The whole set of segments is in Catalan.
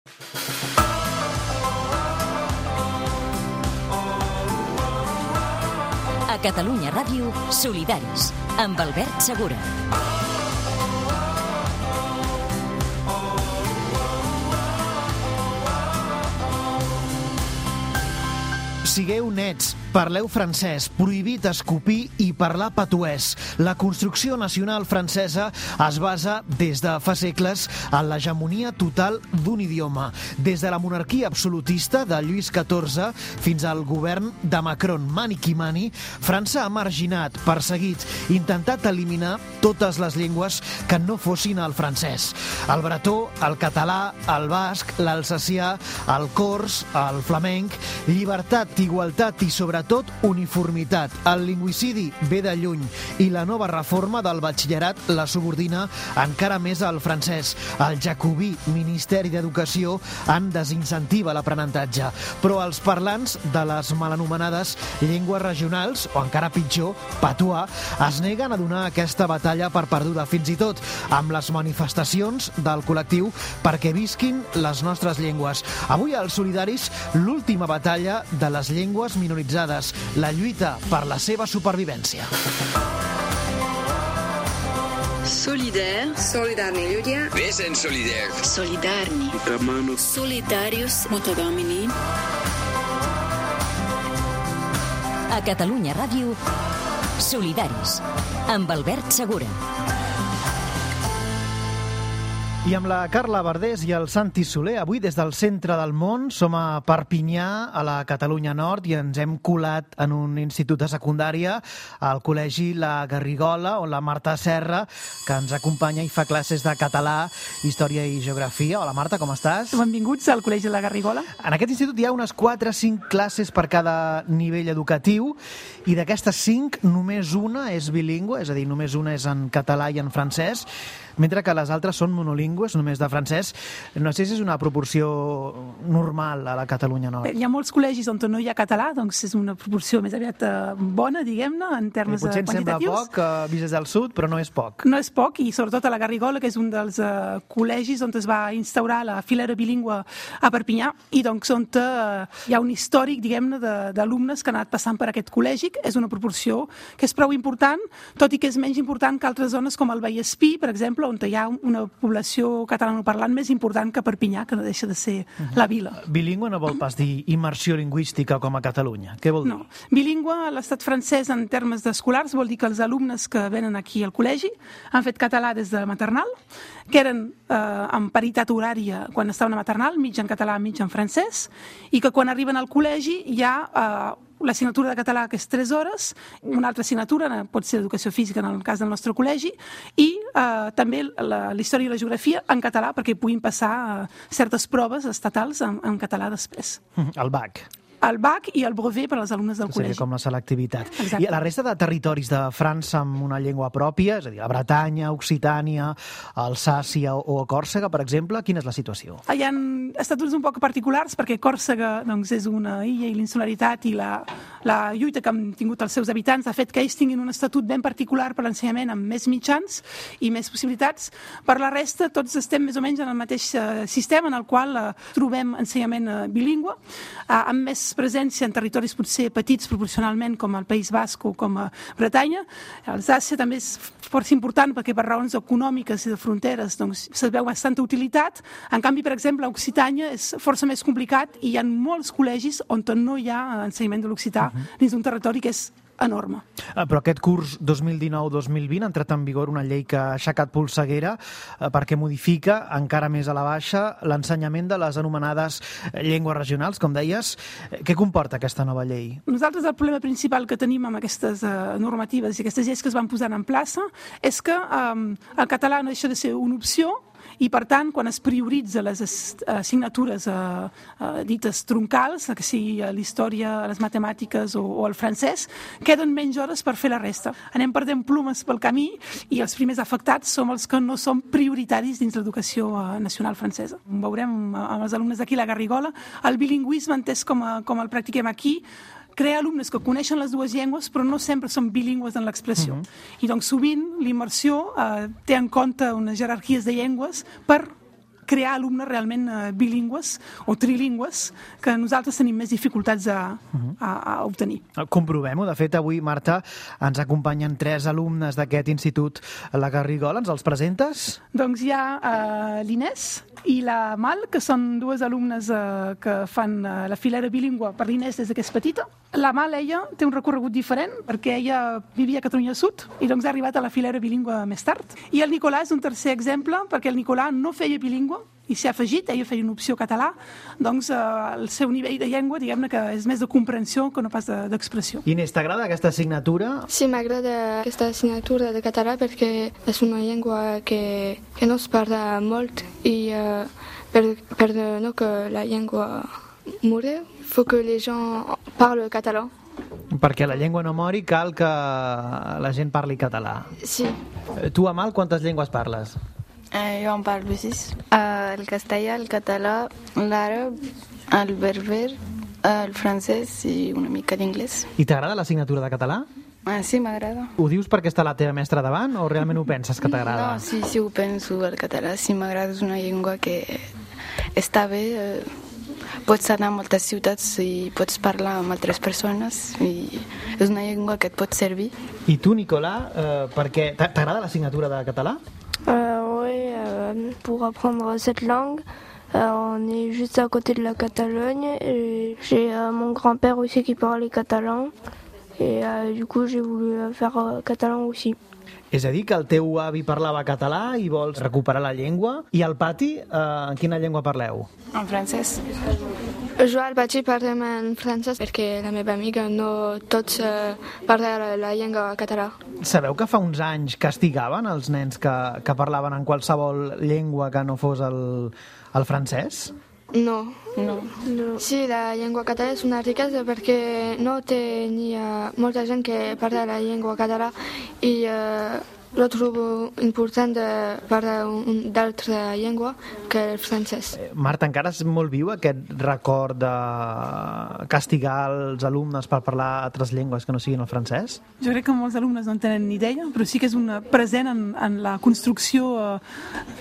A Catalunya Ràdio, Solidaris, amb Albert Segura. Sigueu nets, parleu francès, prohibit escopir i parlar patuès. La construcció nacional francesa es basa des de fa segles en l'hegemonia total d'un idioma. Des de la monarquia absolutista de Lluís XIV fins al govern de Macron, mani qui mani, França ha marginat, perseguit, intentat eliminar totes les llengües que no fossin el francès. El bretó, el català, el basc, l'alsacià, el cors, el flamenc, llibertat, igualtat i sobretot uniformitat. El lingüicidi ve de lluny i la nova reforma del batxillerat la subordina encara més al francès. El jacobí Ministeri d'Educació en desincentiva l'aprenentatge, però els parlants de les malanomenades llengües regionals, o encara pitjor, patuà, es neguen a donar aquesta batalla per perduda, fins i tot amb les manifestacions del col·lectiu perquè visquin les nostres llengües. Avui als Solidaris, l'última batalla de les llengües minoritzades, la lluita per la seva supervivència. Solidaire. Solidarni ľudia. Vesen solidaire. Solidarni. Solidarius. Motodomini. A Catalunya Ràdio, Solidaris, amb Albert Segura. I amb la Carla Verdés i el Santi Soler, avui des del centre del món, som a Perpinyà, a la Catalunya Nord, i ens hem colat en un institut de secundària, al Col·legi La Garrigola, on la Marta Serra, que ens acompanya i fa classes de català, història i geografia. Hola Marta, com estàs? Benvinguts al Col·legi La Garrigola. En aquest institut hi ha unes 4 o 5 classes per cada nivell educatiu, i d'aquestes 5, només una és bilingüe, és a dir, només una és en català i en francès, mentre que les altres són monolingües, només de francès. No sé si és una proporció normal a la Catalunya Nord. Bé, hi ha molts col·legis on no hi ha català, doncs és una proporció més aviat bona, diguem-ne, en termes quantitatius. Potser ens sembla poc, vist des del sud, però no és poc. No és poc, i sobretot a la Garrigola, que és un dels col·legis on es va instaurar la filera bilingüe a Perpinyà, i doncs on hi ha un històric, diguem-ne, d'alumnes que han anat passant per aquest col·legi. És una proporció que és prou important, tot i que és menys important que altres zones com el Vallespí, per exemple, on hi ha una població catalanoparlant més important que Perpinyà, que no deixa de ser la vila. Bilingüe no vol pas dir immersió lingüística com a Catalunya. Què vol dir? No. Bilingüe a l'estat francès en termes d'escolars vol dir que els alumnes que venen aquí al col·legi han fet català des de maternal, que eren en paritat horària quan estaven a maternal, mig en català, mig en francès, i que quan arriben al col·legi hi ha l'assignatura de català, que és 3 hores, una altra assignatura, pot ser educació física en el cas del nostre col·legi, i també la història i la geografia en català, perquè puguin passar certes proves estatals en català després. El BAC. El BAC i el brevet per als alumnes del col·legi. Seria com la selectivitat. Exacte. I la resta de territoris de França amb una llengua pròpia, és a dir, la Bretanya, Occitània, Alsàcia o Còrsega, per exemple, quina és la situació? Hi ha estatuts un poc particulars, perquè Còrsega doncs, és una illa i l'insularitat i la lluita que han tingut els seus habitants ha fet que ells tinguin un estatut ben particular per l'ensenyament amb més mitjans i més possibilitats. Per la resta, tots estem més o menys en el mateix sistema en el qual trobem ensenyament bilingüe, amb més presència en territoris potser petits proporcionalment com el País Basc o com a Bretanya. Alsàcia també és força important perquè per raons econòmiques i de fronteres doncs, se veu bastanta utilitat. En canvi, per exemple, a Occitània és força més complicat i hi ha molts col·legis on no hi ha ensenyament de l'occità dins d'un territori que és enorme. Però aquest curs 2019-2020 ha entrat en vigor una llei que ha aixecat polseguera perquè modifica encara més a la baixa l'ensenyament de les anomenades llengües regionals, com deies. Què comporta aquesta nova llei? Nosaltres el problema principal que tenim amb aquestes normatives i aquestes lleis que es van posar en plaça és que el català no deixa de ser una opció i, per tant, quan es prioritza les assignatures dites troncals, que sigui l'història, les matemàtiques o el francès, queden menys hores per fer la resta. Anem perdent plomes pel camí i els primers afectats som els que no són prioritaris dins l'educació nacional francesa. Ho veurem amb els alumnes d'aquí, la Garrigola. El bilingüisme, entès com el practiquem aquí, crea alumnes que coneixen les dues llengües però no sempre són bilingües en l'expressió. I doncs sovint l'immersió té en compte unes jerarquies de llengües per crear alumnes realment bilingües o trilingües que nosaltres tenim més dificultats a obtenir. Comprovem-ho. De fet, avui, Marta, ens acompanyen 3 alumnes d'aquest institut, la Garrigola. Ens els presentes? Doncs hi ha l'Inés i la Mal, que són 2 alumnes que fan la filera bilingüe per l'Inés des que és petita. La Mal, ella, té un recorregut diferent perquè ella vivia a Catalunya Sud i doncs ha arribat a la filera bilingüe més tard. I el Nicolà és un tercer exemple perquè el Nicolà no feia bilingüe i s'hi ha afegit, ella feia una opció català, doncs el seu nivell de llengua, diguem-ne que és més de comprensió que no pas d'expressió. Inés, t'agrada aquesta assignatura? Sí, m'agrada aquesta assignatura de català perquè és una llengua que no es parla molt i per no que la llengua mori, faut que les gens parlent català. Perquè la llengua no mori, cal que la gent parli català. Sí. Tu, Amal, quantes llengües parles? Jo en parlo 6. El castellà, el català, l'àrab, el berber, el francès i una mica d'inglès. I t'agrada l'assignatura de català? Sí, m'agrada. Ho dius perquè està la teva mestra davant o realment ho penses que t'agrada? No, sí, ho penso, el català. Sí, m'agrada, és una llengua que està bé. Pots anar a moltes ciutats i pots parlar amb altres persones i és una llengua que et pot servir. I tu, Nicolà, t'agrada l'assignatura de català? Oui, pour apprendre cette langue, on est juste à côté de la Catalogne et j'ai mon grand-père aussi qui parlait catalan et du coup j'ai voulu faire catalan aussi. És a dir, que el teu avi parlava català i vols recuperar la llengua. I al pati, en quina llengua parleu? En francès. Jo al pati parlem en francès perquè la meva amiga no tots parla la llengua català. Sabeu que fa uns anys castigaven els nens que parlaven en qualsevol llengua que no fos el francès? No. Sí, la llengua català és una riquesa perquè no tenia molta gent que parla la llengua català i lo trobo important de parlar d'altra llengua que el francès. Marta, encara és molt viu aquest record de castigar els alumnes per parlar altres llengües que no siguin el francès? Jo crec que molts alumnes no en tenen ni idea, però sí que és una present en la construcció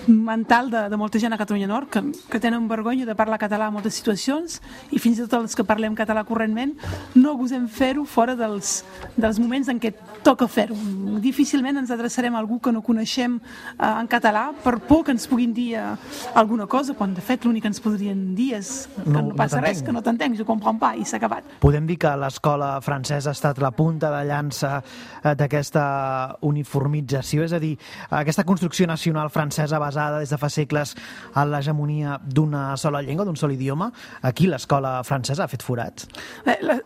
mental de molta gent a Catalunya Nord que tenen vergonya de parlar català en moltes situacions i fins i tot els que parlem català correntment no gosem fer-ho fora dels moments en què toca fer-ho. Difícilment ens adreçarem a algú que no coneixem en català per por que ens puguin dir alguna cosa, quan de fet l'únic que ens podrien dir és que no passa res, que no t'entenc, jo comprends pas i s'ha acabat. Podem dir que l'escola francesa ha estat la punta de llança d'aquesta uniformització, és a dir, aquesta construcció nacional francesa basada des de fa segles en l'hegemonia d'una sola llengua, d'un sol idioma. Aquí l'escola francesa ha fet forat.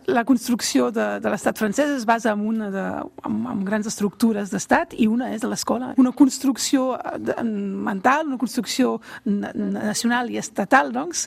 La construcció de l'estat francès es basa en grans estructures d'estat i una és de l'escola. Una construcció mental, una construcció nacional i estatal, doncs,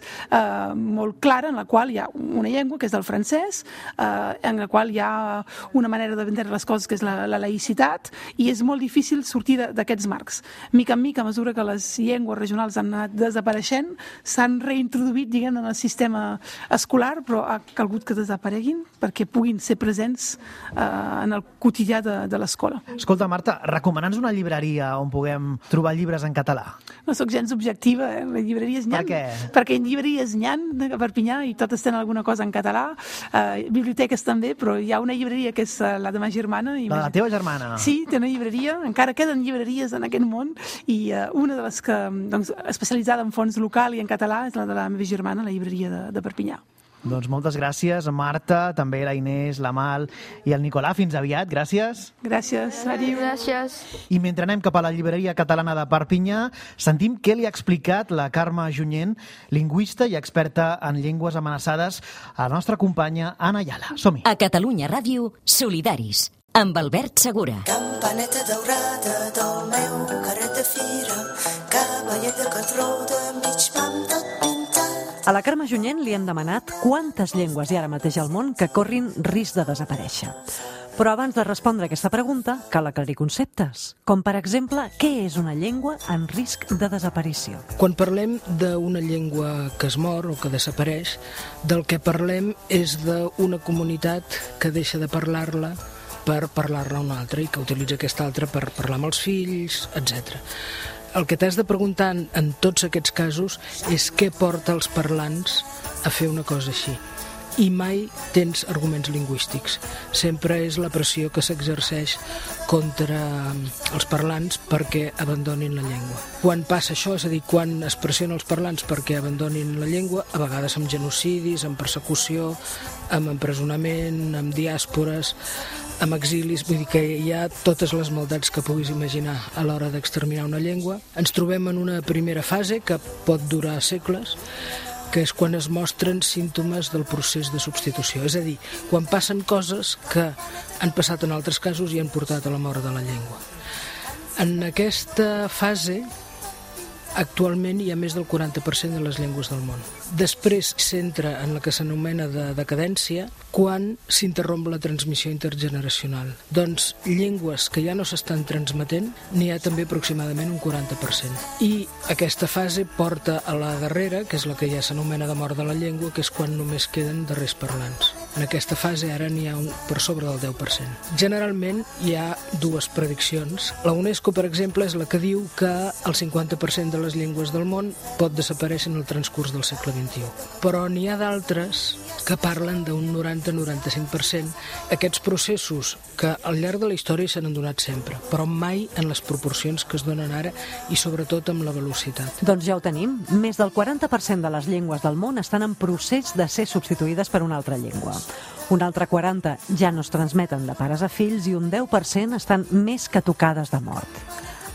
molt clara, en la qual hi ha una llengua, que és el francès, en la qual hi ha una manera d'entendre les coses, que és la laïcitat, i és molt difícil sortir d'aquests marcs. Mica en mica, a mesura que les llengües regionals han anat desapareixent, s'han reintroduït, diguem, en el sistema escolar, però ha calgut que desapareguin perquè puguin ser presents en el quotidià de l'escola. Escolta, Marta, recomana'ns una llibreria on puguem trobar llibres en català. No sóc gens objectiva, les llibreries n'hi ha. Per què? Perquè llibreries n'hi ha a Perpinyà i totes tenen alguna cosa en català. Biblioteques també, però hi ha una llibreria que és la de ma germana. La teva germana? Sí, té una llibreria. Encara queden llibreries en aquest món i una de les que, doncs, especialitzada en fons local i en català és la de la meva germana, la llibreria de Perpinyà. Doncs moltes gràcies, Marta, també la Inés, la Mal i el Nicolà. Fins aviat, gràcies. Gràcies, adiu. Gràcies. I mentre anem cap a la llibreria catalana de Perpinyà, sentim què li ha explicat la Carme Junyent, lingüista i experta en llengües amenaçades, a la nostra companya Anna Ayala. Som-hi. A Catalunya Ràdio, Solidaris, amb Albert Segura. Campaneta daurada del meu carret de fira, cavaller de catró de mig pam tot pintat. A la Carme Junyent li hem demanat quantes llengües hi ha ara mateix al món que corrin risc de desaparèixer. Però abans de respondre a aquesta pregunta, cal aclarir conceptes, com per exemple, què és una llengua en risc de desaparició? Quan parlem d'una llengua que es mor o que desapareix, del que parlem és d'una comunitat que deixa de parlar-la per parlar-la a una altra i que utilitza aquesta altra per parlar amb els fills, etc. el que t'has de preguntar en tots aquests casos és què porta els parlants a fer una cosa així. I mai tens arguments lingüístics. Sempre és la pressió que s'exerceix contra els parlants perquè abandonin la llengua. Quan passa això, és a dir, quan es pressiona els parlants perquè abandonin la llengua, a vegades amb genocidis, amb persecució, amb empresonament, amb diàspores, amb exilis, vull dir que hi ha totes les maldats que puguis imaginar a l'hora d'exterminar una llengua. Ens trobem en una primera fase que pot durar segles, que és quan es mostren símptomes del procés de substitució. És a dir, quan passen coses que han passat en altres casos i han portat a la mort de la llengua. En aquesta fase, actualment hi ha més del 40% de les llengües del món. Després s'entra en la que s'anomena de decadència quan s'interromp la transmissió intergeneracional. Doncs llengües que ja no s'estan transmetent n'hi ha també aproximadament un 40%. I aquesta fase porta a la darrera, que és la que ja s'anomena de mort de la llengua, que és quan només queden darrers parlants. En aquesta fase ara n'hi ha per sobre del 10%. Generalment hi ha dues prediccions. La UNESCO, per exemple, és la que diu que el 50% de les llengües del món pot desaparèixer en el transcurs del segle XXI. Però n'hi ha d'altres que parlen d'un 90-95%. Aquests processos que al llarg de la història se n'han donat sempre, però mai en les proporcions que es donen ara i sobretot amb la velocitat. Doncs ja ho tenim. Més del 40% de les llengües del món estan en procés de ser substituïdes per una altra llengua. Un altre 40% ja no es transmeten de pares a fills i un 10% estan més que tocades de mort.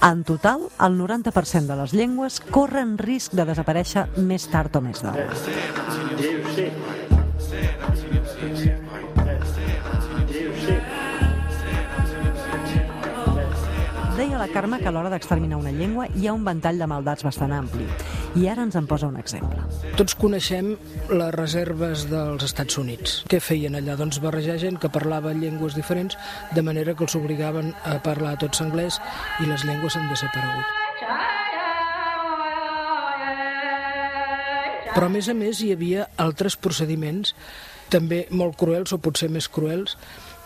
En total, el 90% de les llengües corren risc de desaparèixer més tard o més d'hora. Deia la Carme que a l'hora d'exterminar una llengua hi ha un ventall de maldats bastant ampli. I ara ens en posa un exemple. Tots coneixem les reserves dels Estats Units. Què feien allà? Doncs barrejar gent que parlava llengües diferents, de manera que els obligaven a parlar tots anglès i les llengües han desaparegut. Però a més hi havia altres procediments també molt cruels o potser més cruels.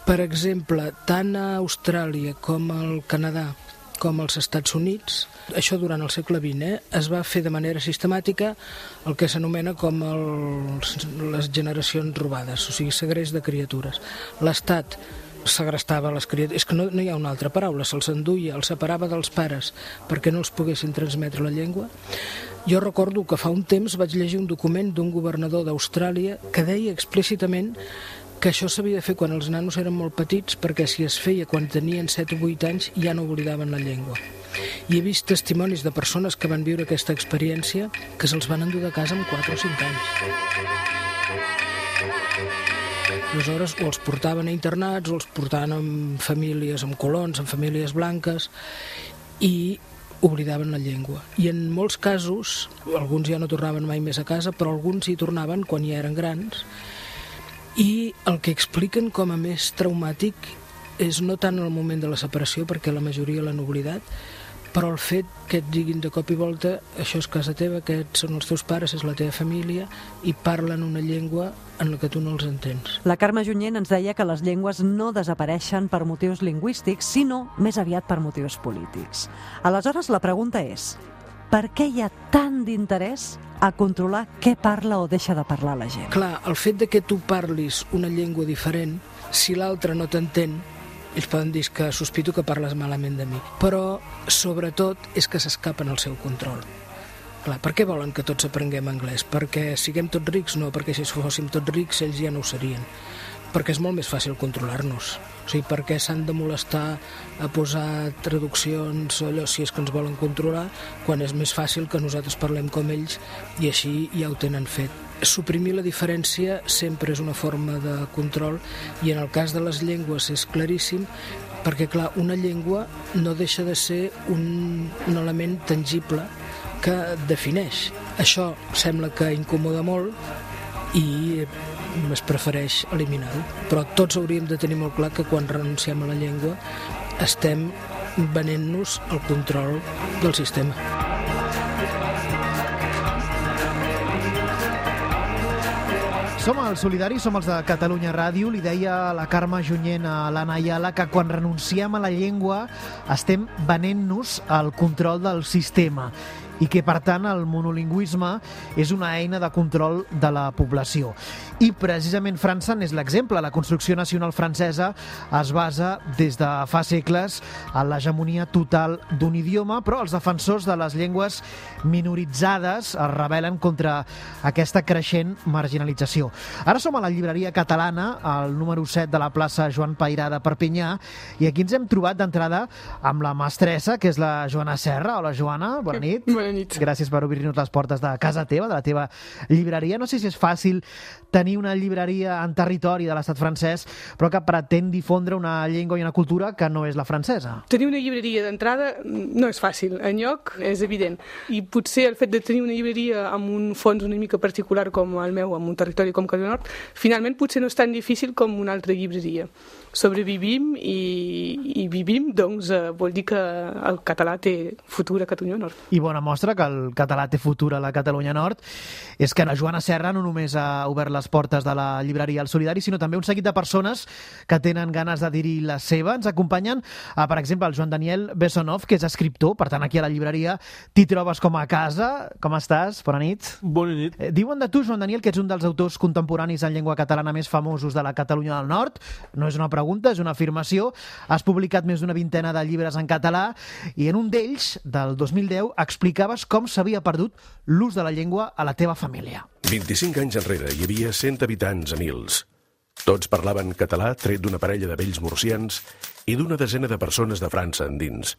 Per exemple, tant a Austràlia com al Canadà com als Estats Units, això durant el segle XX, es va fer de manera sistemàtica el que s'anomena com les generacions robades, o sigui, segrest de criatures. L'Estat segrestava les criatures, és que no hi ha una altra paraula, se'ls enduia, els separava dels pares perquè no els poguessin transmetre la llengua. Jo recordo que fa un temps vaig llegir un document d'un governador d'Austràlia que deia explícitament que això s'havia de fer quan els nanos eren molt petits perquè si es feia quan tenien 7 o 8 anys ja no oblidaven la llengua. I he vist testimonis de persones que van viure aquesta experiència que se'ls van endur de casa amb 4 o 5 anys. Aleshores, o els portaven a internats o els portaven amb famílies, amb colons, amb famílies blanques i oblidaven la llengua. I en molts casos, alguns ja no tornaven mai més a casa, però alguns hi tornaven quan ja eren grans. I el que expliquen com a més traumàtic és no tant el moment de la separació, perquè la majoria l'han oblidat, però el fet que et diguin de cop i volta això és casa teva, aquests són els teus pares, és la teva família, i parlen una llengua en la que tu no els entens. La Carme Junyent ens deia que les llengües no desapareixen per motius lingüístics, sinó més aviat per motius polítics. Aleshores, la pregunta és: per què hi ha tant d'interès a controlar què parla o deixa de parlar la gent? Clar, el fet de que tu parlis una llengua diferent, si l'altre no t'entén, ells poden dir que sospito que parles malament de mi. Però, sobretot, és que s'escapen al seu control. Clar, per què volen que tots aprenguem anglès? Perquè siguem tots rics? No, perquè si fóssim tots rics ells ja no ho serien. Perquè és molt més fàcil controlar-nos. O sigui, per què s'han de molestar a posar traduccions o allò si és que ens volen controlar, quan és més fàcil que nosaltres parlem com ells i així ja ho tenen fet. Suprimir la diferència sempre és una forma de control i en el cas de les llengües és claríssim perquè, clar, una llengua no deixa de ser un element tangible que et defineix. Això sembla que incomoda molt i es prefereix eliminar-ho. Però tots hauríem de tenir molt clar que quan renunciem a la llengua estem venent-nos el control del sistema. Som els solidaris, som els de Catalunya Ràdio. Li deia la Carme Junyent a l'Anna Ayala que quan renunciem a la llengua estem venent-nos al control del sistema i que, per tant, el monolingüisme és una eina de control de la població. I precisament França n'és l'exemple. La construcció nacional francesa es basa des de fa segles en l'hegemonia total d'un idioma, però els defensors de les llengües minoritzades es rebel·len contra aquesta creixent marginalització. Ara som a la llibreria catalana, al número 7 de la plaça Joan Peirà de Perpinyà, i aquí ens hem trobat d'entrada amb la mestressa, que és la Joana Serra. Hola, Joana, bona nit. Bona nit. Gràcies per obrir-nos les portes de casa teva, de la teva llibreria. No sé si és fàcil tenir una llibreria en territori de l'estat francès, però que pretén difondre una llengua i una cultura que no és la francesa. Tenir una llibreria d'entrada no és fàcil, enlloc és evident. I potser el fet de tenir una llibreria amb un fons una mica particular com el meu, amb un territori com Catalunya Nord, finalment potser no és tan difícil com una altra llibreria. Sobrevivim i vivim, doncs vol dir que el català té futur a Catalunya Nord. I bona mostra que el català té futur a la Catalunya Nord és que la Joana Serra no només ha obert les portes de la llibreria El Solidari, sinó també un seguit de persones que tenen ganes de dir-hi la seva. Ens acompanyen, per exemple, el Joan Daniel Bessonov, que és escriptor, per tant, aquí a la llibreria t'hi trobes com a casa. Com estàs? Bona nit. Bona nit. Diuen de tu, Joan Daniel, que ets un dels autors contemporanis en llengua catalana més famosos de la Catalunya del Nord. No és una pregunta, és una afirmació. Has publicat més d'una vintena de llibres en català i en un d'ells, del 2010, explicaves com s'havia perdut l'ús de la llengua a la teva família. 25 anys enrere hi havia 100 habitants a Mils. Tots parlaven català tret d'una parella de vells murcians i d'una desena de persones de França endins.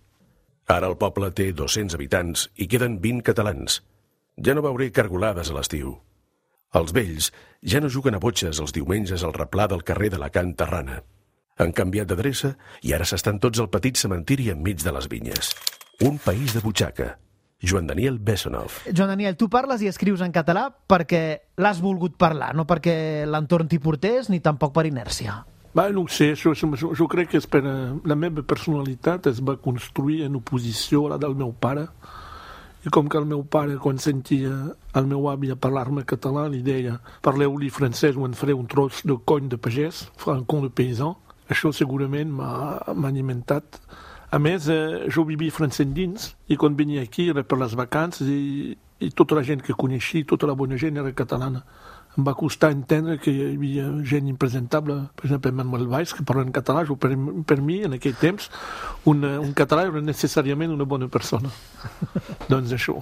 Ara el poble té 200 habitants i queden 20 catalans. Ja no veuré cargolades a l'estiu. Els vells ja no juguen a botxes els diumenges al replà del carrer d'Alacant Terrana. Han canviat d'adreça i ara s'estan tots al petit cementiri enmig de les vinyes. Un país de butxaca. Joan Daniel Bessonov. Joan Daniel, tu parles i escrius en català perquè l'has volgut parlar, no perquè l'entorn t'hi portés ni tampoc per inèrcia. No ho sé, jo crec que és per la meva personalitat es va construir en oposició a la del meu pare, i com que el meu pare, quan sentia el meu avi a parlar-me català, li deia parleu-li francès o en faré un tros de cony de pagès, francon de paysan. Això segurament m'ha alimentat. A més, jo vivia francès dins i quan venia aquí era per les vacances i tota la gent que coneixia, tota la bona gent era catalana. Em va costar entendre que hi havia gent impresentable, per exemple Manuel Valls, que parla en català. Per mi, en aquell temps, un català era necessàriament una bona persona. Doncs això.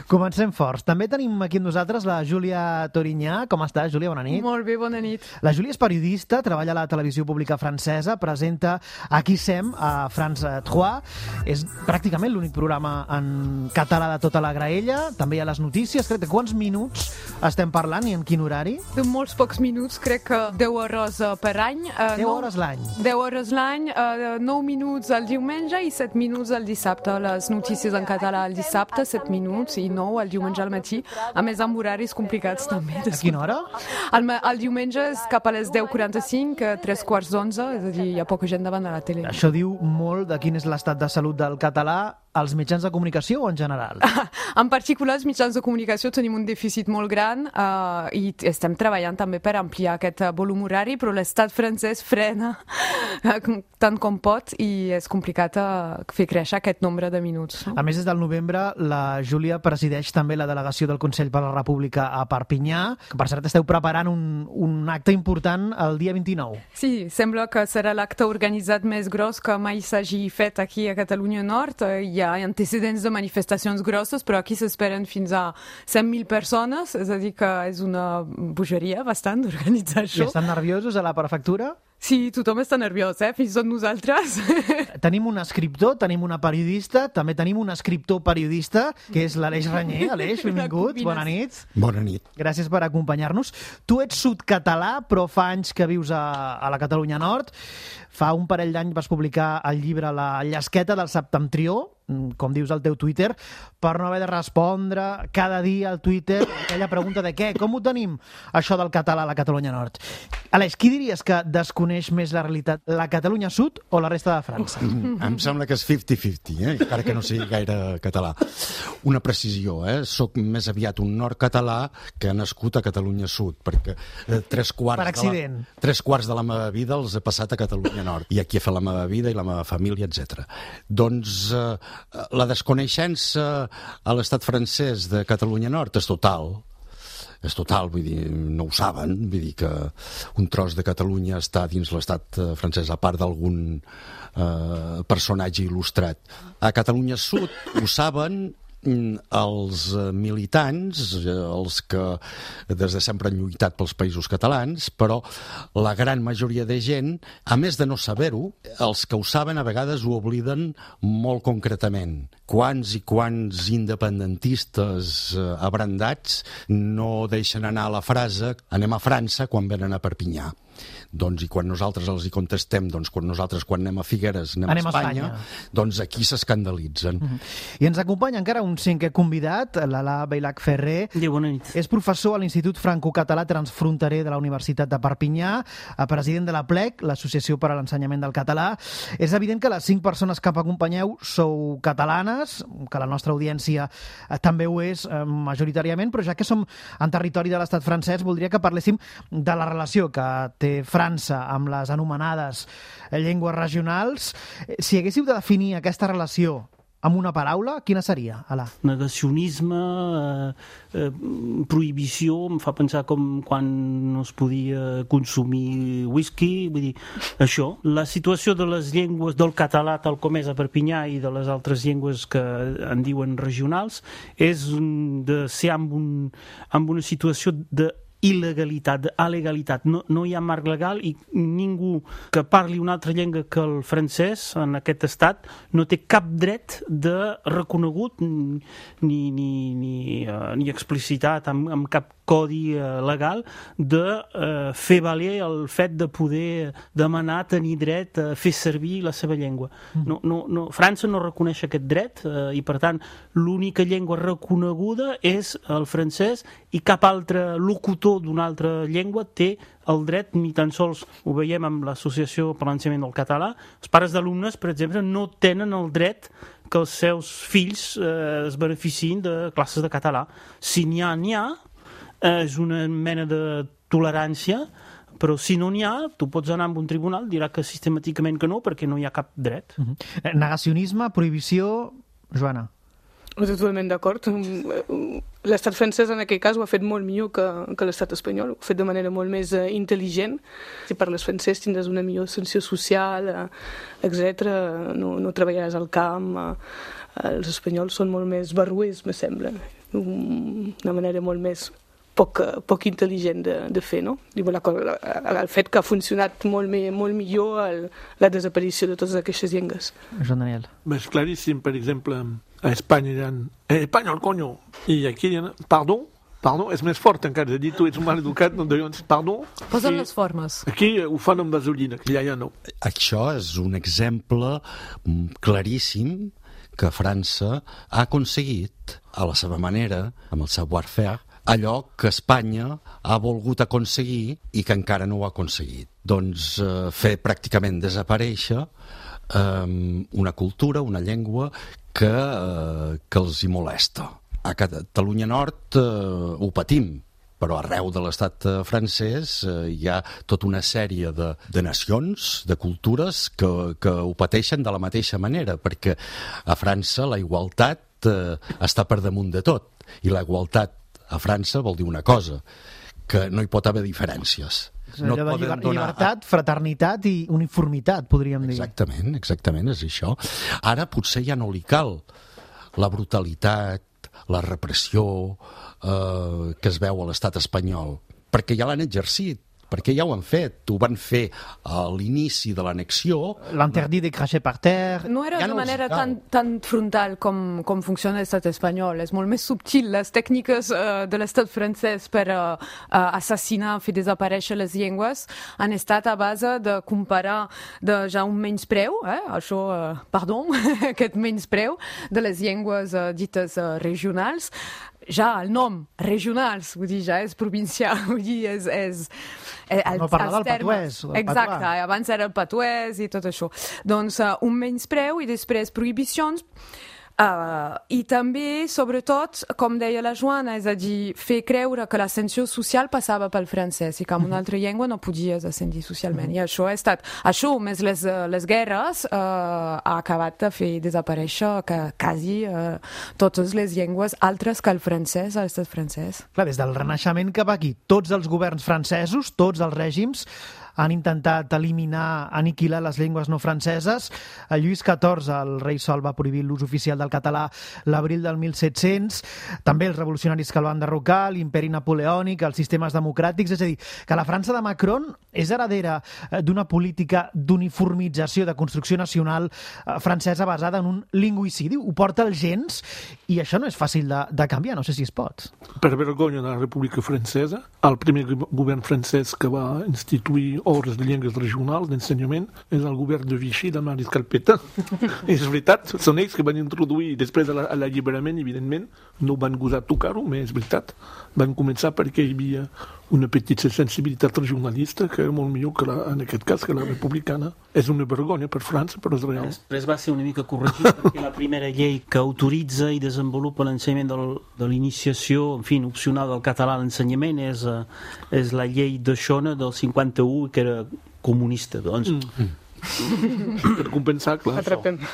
Comencem forts. També tenim aquí amb nosaltres la Júlia Torinyà. Com estàs, Júlia? Bona nit. Molt bé, bona nit. La Júlia és periodista, treballa a la televisió pública francesa, presenta Aquí sem a France 3. És pràcticament l'únic programa en català de tota la graella. També hi ha les notícies. Crec que quants minuts estem parlant i en quin horari? De molts pocs minuts, crec que 10 hores per any. 10 hores l'any? 10 hores l'any, 9 minuts el diumenge i 7 minuts el dissabte. Les notícies en català el dissabte, 7 minuts i 9 el diumenge al matí. A més, amb horaris complicats també. A quina hora? El diumenge és cap a les 10:45, 11:45, és a dir, hi ha poca gent davant de la tele. Això diu molt de quin és l'estat de salut del català als mitjans de comunicació o en general? En particular, els mitjans de comunicació tenim un dèficit molt gran i estem treballant també per ampliar aquest volum horari, però l'estat francès frena tant com pot i és complicat fer créixer aquest nombre de minuts. A més, des del novembre, la Júlia presideix també la delegació del Consell per la República a Perpinyà. Per cert, esteu preparant un acte important el dia 29. Sí, sembla que serà l'acte organitzat més gros que mai s'hagi fet aquí a Catalunya Nord. Hi ha antecedents de manifestacions grosses, però aquí s'esperen fins a 100.000 persones, és a dir que és una bogeria bastant d'organitzar això. I estan nerviosos a la prefectura? Sí, tothom està nerviós, fins i tot nosaltres. Tenim un escriptor, tenim una periodista, també tenim un escriptor periodista, que és l'Aleix Ranyer. Aleix, benvingut, bona nit. Bona nit. Gràcies per acompanyar-nos. Tu ets sud-català, però fa anys que vius a la Catalunya Nord. Fa un parell d'anys vas publicar el llibre La llesqueta del septentrió, com dius al teu Twitter, per no haver de respondre cada dia al Twitter aquella pregunta de què, com ho tenim, això del català a la Catalunya Nord. Aleix, qui diries que desconeix coneix més la realitat, la Catalunya Sud o la resta de França? Em sembla que és 50-50, encara que no sigui gaire català. Una precisió, soc més aviat un nord català que ha nascut a Catalunya Sud, perquè tres quarts de la meva vida els he passat a Catalunya Nord, i aquí he fet la meva vida i la meva família, etc. Doncs la desconeixença a l'estat francès de Catalunya Nord és total, vull dir, no ho saben, vull dir que un tros de Catalunya està dins l'estat francès, a part d'algun personatge il·lustrat. A Catalunya Sud ho saben els militants, els que des de sempre han lluitat pels països catalans, però la gran majoria de gent, a més de no saber-ho, els que ho saben a vegades ho obliden molt concretament. Quants i quants independentistes abrandats no deixen anar la frase "anem a França" quan venen a Perpinyà. Doncs, i quan nosaltres els hi contestem, quan anem a Figueres, anem a Espanya, doncs aquí s'escandalitzen. I ens acompanya encara un cinquè convidat, l'Alà Beilac Ferrer. Bona nit. És professor a l'Institut Franco-Català Transfronterer de la Universitat de Perpinyà, president de la PLEC, l'Associació per a l'Ensenyament del Català. És evident que les 5 persones que acompanyeu sou catalanes, que la nostra audiència també ho és majoritàriament, però ja que som en territori de l'estat francès, voldria que parléssim de la relació que té França amb les anomenades llengües regionals. Si haguéssiu de definir aquesta relació amb una paraula, quina seria, Alà? Negacionisme, prohibició, em fa pensar com quan no es podia consumir whisky, vull dir, això. La situació de les llengües del català tal com és a Perpinyà i de les altres llengües que en diuen regionals és de ser amb una situació de il·legalitat, alegalitat. No hi ha marc legal i ningú que parli una altra llengua que el francès en aquest estat no té cap dret de reconegut ni explicitat amb cap codi legal de fer valer el fet de poder demanar tenir dret a fer servir la seva llengua. França no reconeix aquest dret i per tant l'única llengua reconeguda és el francès i cap altre locutor d'una altra llengua té el dret, ni tan sols ho veiem amb l'Associació per l'Ensenyament del Català. Els pares d'alumnes, per exemple, no tenen el dret que els seus fills es beneficiïn de classes de català. Si n'hi ha, és una mena de tolerància, però si no n'hi ha, tu pots anar a un tribunal, dirà que sistemàticament que no, perquè no hi ha cap dret. Negacionisme, prohibició... Joana. Totalment d'acord. L'estat francès en aquell cas ho ha fet molt millor que l'estat espanyol, ho ha fet de manera molt més intel·ligent. Si parles francès tindràs una millor ascensió social, etc. No treballaràs al camp. Els espanyols són molt més barruers, me sembla. Una manera molt més poc intel·ligent de fer, no? El fet que ha funcionat molt millor la desaparició de totes aquestes llengües. Joan Daniel. És claríssim, per exemple, a Espanya diran espanyol, coño, i aquí diran pardon, és més fort encara, de dir tu ets un mal educat, no diuen pardon. Posen les formes. Aquí ho fan amb gasolina, que ja no. Això és un exemple claríssim que França ha aconseguit, a la seva manera, amb el savoir-faire, allò que Espanya ha volgut aconseguir i que encara no ho ha aconseguit. Doncs fer pràcticament desaparèixer una cultura, una llengua que els hi molesta. A Catalunya Nord ho patim, però arreu de l'estat francès hi ha tota una sèrie de nacions, de cultures que ho pateixen de la mateixa manera, perquè a França la igualtat està per damunt de tot, i la igualtat a França vol dir una cosa, que no hi pot haver diferències. No llibertat, fraternitat i uniformitat, podríem dir. Exactament, és això. Ara potser ja no li cal la brutalitat, la repressió que es veu a l'estat espanyol, perquè ja l'han exercit, perquè ja ho han fet. Ho van fer a l'inici de l'annexió. L'interdit de cracher par terre. No era de manera tan frontal com funciona l'estat espanyol. És molt més subtil. Les tècniques de l'estat francès per assassinar, fer desaparèixer les llengües han estat a base de comparar ja un menyspreu, aquest menyspreu de les llengües dites regionals, ja el nom, regionals, vull dir, ja és provincial, vull dir, és no parlar del patuès. Exacte, abans era el patuès i tot això. Doncs un menyspreu i després prohibicions. I també, sobretot, com deia la Joana, és a dir, fer creure que l'ascensió social passava pel francès i que amb una altra llengua no podies ascendir socialment. I això ha estat... Això, més les guerres, ha acabat de fer desaparèixer quasi totes les llengües altres que el francès a l'estat francès. Clar, des del Renaixement cap aquí, tots els governs francesos, tots els règims, han intentat eliminar, aniquilar les llengües no franceses. Lluís XIV, el rei Sol, va prohibir l'ús oficial del català l'abril del 1700. També els revolucionaris que el van derrocar, l'imperi napoleònic, els sistemes democràtics. És a dir, que la França de Macron és heredera d'una política d'uniformització, de construcció nacional francesa basada en un lingüicidi. Ho porta els gens i això no és fàcil de canviar, no sé si es pot. Per vergonya de la República Francesa, el primer govern francès que va instituir hores de llengües regionals d'ensenyament és el govern de Vichy de Mariscal Pétain. És veritat, són ells que van introduir, després de l'alliberament, evidentment, no van gosar tocar-ho, però és veritat. Van començar perquè hi havia una petita sensibilitat regionalista que era molt millor que en aquest cas que la republicana. És una vergonya per França, però és real. Després va ser una mica corregit perquè la primera llei que autoritza i desenvolupa l'ensenyament de l'iniciació, en fi, opcional del català a l'ensenyament és la llei de Xona del 51, que era comunista, doncs. Per compensar, clar.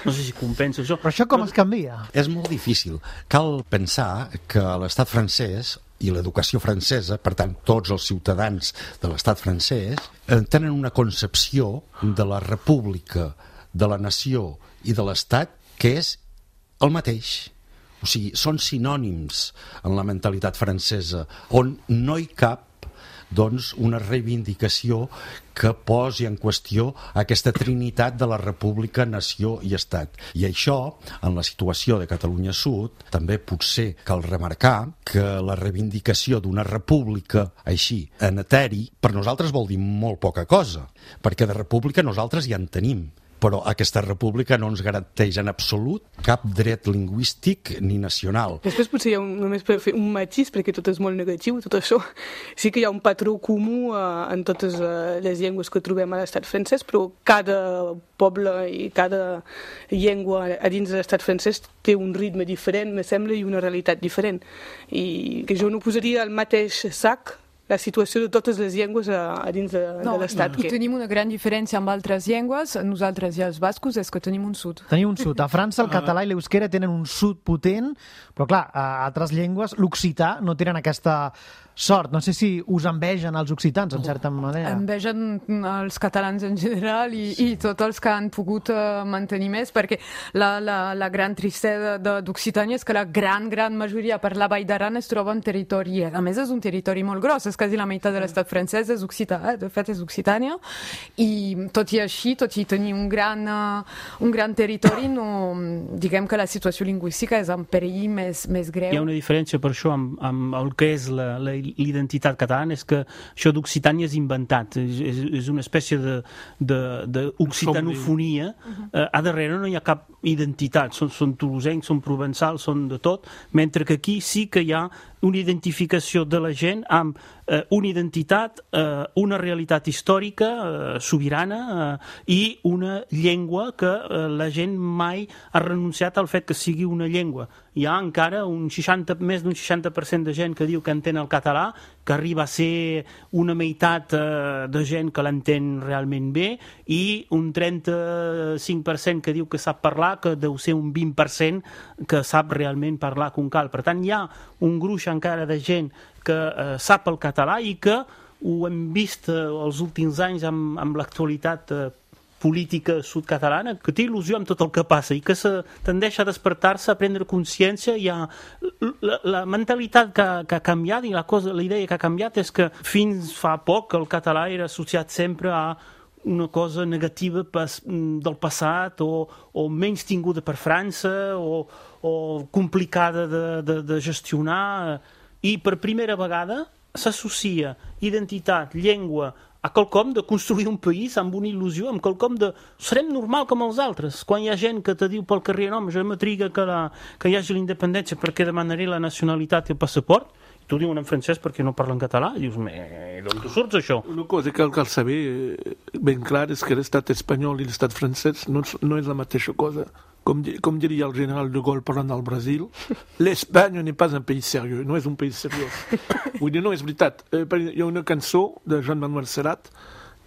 No sé si compensa això. Però això com es canvia? És molt difícil. Cal pensar que l'estat francès i l'educació francesa, per tant, tots els ciutadans de l'estat francès, tenen una concepció de la república, de la nació i de l'estat que és el mateix. O sigui, són sinònims en la mentalitat francesa, on no hi cap doncs una reivindicació que posi en qüestió aquesta trinitat de la república, nació i estat. I això, en la situació de Catalunya Sud, també potser cal remarcar que la reivindicació d'una república així, en eteri, per nosaltres vol dir molt poca cosa, perquè de república nosaltres ja en tenim. Però aquesta república no ens garanteix en absolut cap dret lingüístic ni nacional. Després potser hi ha només per fer un matís, perquè tot és molt negatiu, tot això. Sí que hi ha un patró comú en totes les llengües que trobem a l'estat francès, però cada poble i cada llengua a dins de l'estat francès té un ritme diferent, me sembla, i una realitat diferent. I que jo no posaria al mateix sac la situació de totes les llengües a dins de l'estat. I tenim una gran diferència amb altres llengües, nosaltres i els bascos, és que tenim un sud. Tenim un sud. A França el català i l'euskera tenen un sud potent, però clar, a altres llengües, l'occità, no tenen aquesta sort. No sé si us envegen els occitans, en certa manera. Envegen els catalans en general i tots els que han pogut mantenir més, perquè la gran tristesa d'Occitània és que la gran majoria per la Vall d'Aran es troba en territori, a més és un territori molt gros, és quasi la meitat de l'estat francès és occità, de fet és Occitània, i tot i així, tot i tenir un gran territori, no, diguem que la situació lingüística és en perill més greu. Hi ha una diferència per això amb el que és l'identitat catalana, és que això d'Occitània és inventat, és una espècie d'occitanofonia. A darrere no hi ha cap identitat, són tolosencs, són provençals, són de tot, mentre que aquí sí que hi ha una identificació de la gent amb una identitat, una realitat històrica sobirana i una llengua que la gent mai ha renunciat al fet que sigui una llengua. Hi ha encara més d'un 60% de gent que diu que entén el català, que arriba a ser una meitat de gent que l'entén realment bé, i un 35% que diu que sap parlar, que deu ser un 20% que sap realment parlar com cal. Per tant, hi ha un gruix encara de gent que sap el català i que ho hem vist els últims anys amb l'actualitat política sud-catalana, que té il·lusió amb tot el que passa i que tendeix a despertar-se, a prendre consciència. Hi ha la mentalitat que ha canviat i la idea que ha canviat és que fins fa poc el català era associat sempre a una cosa negativa del passat o menys tinguda per França o complicada de gestionar. I per primera vegada s'associa identitat, llengua, a quelcom de construir un país amb una il·lusió, amb quelcom de serem normal com els altres. Quan hi ha gent que te diu pel carrer no, jo m'atriga que hi hagi la independència perquè demanaré la nacionalitat i el passaport, tu diuen en francès perquè no parlen català, i dius, d'on tu surts això? Una cosa que cal saber ben clar és que l'estat espanyol i l'estat francès no és la mateixa cosa. Com diria el general de Gaulle parlant del Brasil, l'Espanya n'est pas un pays sérieux, no és un país seriós. Vull dir, no, és veritat. Hi ha una cançó de Jean-Manuel Serrat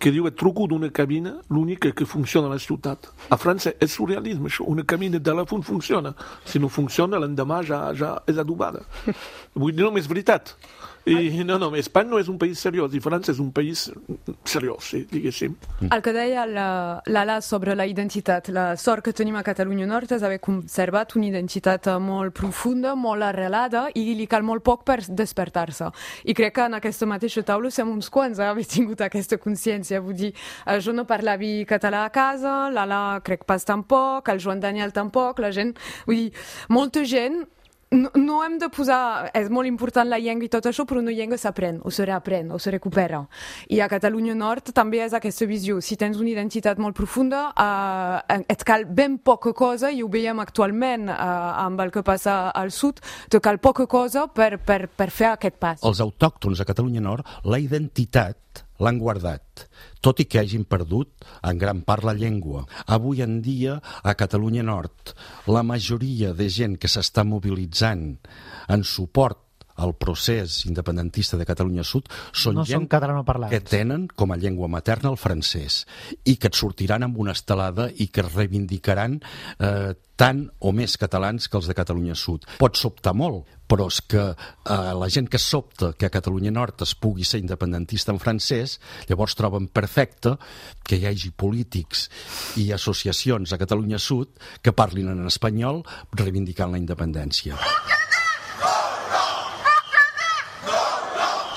que diu et truco d'una cabina, l'única que funciona a la ciutat. A França és surrealisme, això. Una cabina de telèfon funciona. Si no funciona, l'endemà ja és adobada. Vull dir, no, és veritat. I no, Espanya no és un país seriós i França és un país seriós, sí, diguéssim. El que deia l'Ala sobre la identitat, la sort que tenim a Catalunya Nord és haver conservat una identitat molt profunda, molt arrelada, i li cal molt poc per despertar-se. I crec que en aquesta mateixa taula som uns quants a haver tingut aquesta consciència. Vull dir, jo no parlava català a casa, l'Ala crec pas tampoc, el Joan Daniel tampoc, la gent, vull dir, molta gent. No hem de posar... És molt important la llengua i tot això, però una llengua s'aprèn, o se reaprèn, o se recupera. I a Catalunya Nord també és aquesta visió. Si tens una identitat molt profunda, et cal ben poca cosa, i ho veiem actualment amb el que passa al sud, te cal poca cosa per fer aquest pas. Els autòctons a Catalunya Nord, la identitat l'han guardat, tot i que hagin perdut en gran part la llengua. Avui en dia, a Catalunya Nord, la majoria de gent que s'està mobilitzant en suport al procés independentista de Catalunya Sud són gent que tenen com a llengua materna el francès i que et sortiran amb una estelada i que reivindicaran tant o més catalans que els de Catalunya Sud. Pot sobtar molt, però és que la gent que sobta que a Catalunya Nord es pugui ser independentista en francès, llavors troben perfecte que hi hagi polítics i associacions a Catalunya Sud que parlin en espanyol reivindicant la independència.